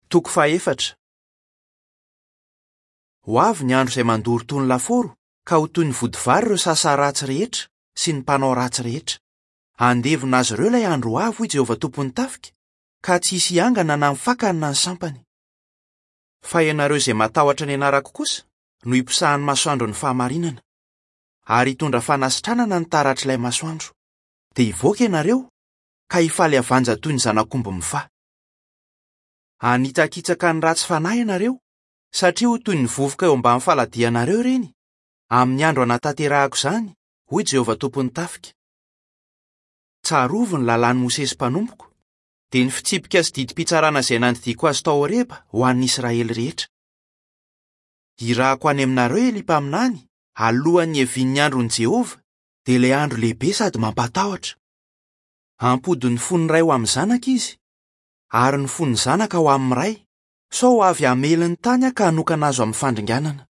Toko fahefatra. Ho avy ny andro izay mandoro toy ny lafaoro ka ho toy ny vodivary ireo sasa ratsy rehetra sy ny mpanao ratsy rehetra. Handevona azy ireo ilay andro ho avy, hoy Jehovah Tompon'ny tafika, ka tsy hisy hiangana na ny fakany na ny sampany. Fa ianareo izay matahotra ny anarako kosa no hiposahan'ny masoandron'ny fahamarinana, ary hitondra fanasitranana ny taratr'ilay masoandro. Dia hivoaka ianareo ka hifaly havanja toy ny zanak'omby mifaha. Hanitsakitsaka ny ratsy fanahy ianareo, satria ho toy ny vovoka eo ambany faladianareo ireny, amin'ny andro hanatanterahako izany, hoy Jehovah Tompon'ny tafika. Tsarovy ny lalàn'i Mosesy mpanompoko, dia ny fitsipika sy didim-pitsarana izay nandidiako azy tao Horeba ho an'ny Israely rehetra. Hirahako any aminareo Elia mpaminany, alohan'ny hiavian'ny andron'i Jehovah, dia ilay andro lehibe sady mampatahotra. Hampody ny fon'ny ray ho amin'ny zanaka izy, ary ny fon'ny zanaka ho amin'ny ray, sao ho avy hamely ny tany aho ka hanokana azy ho amin'ny fandringanana.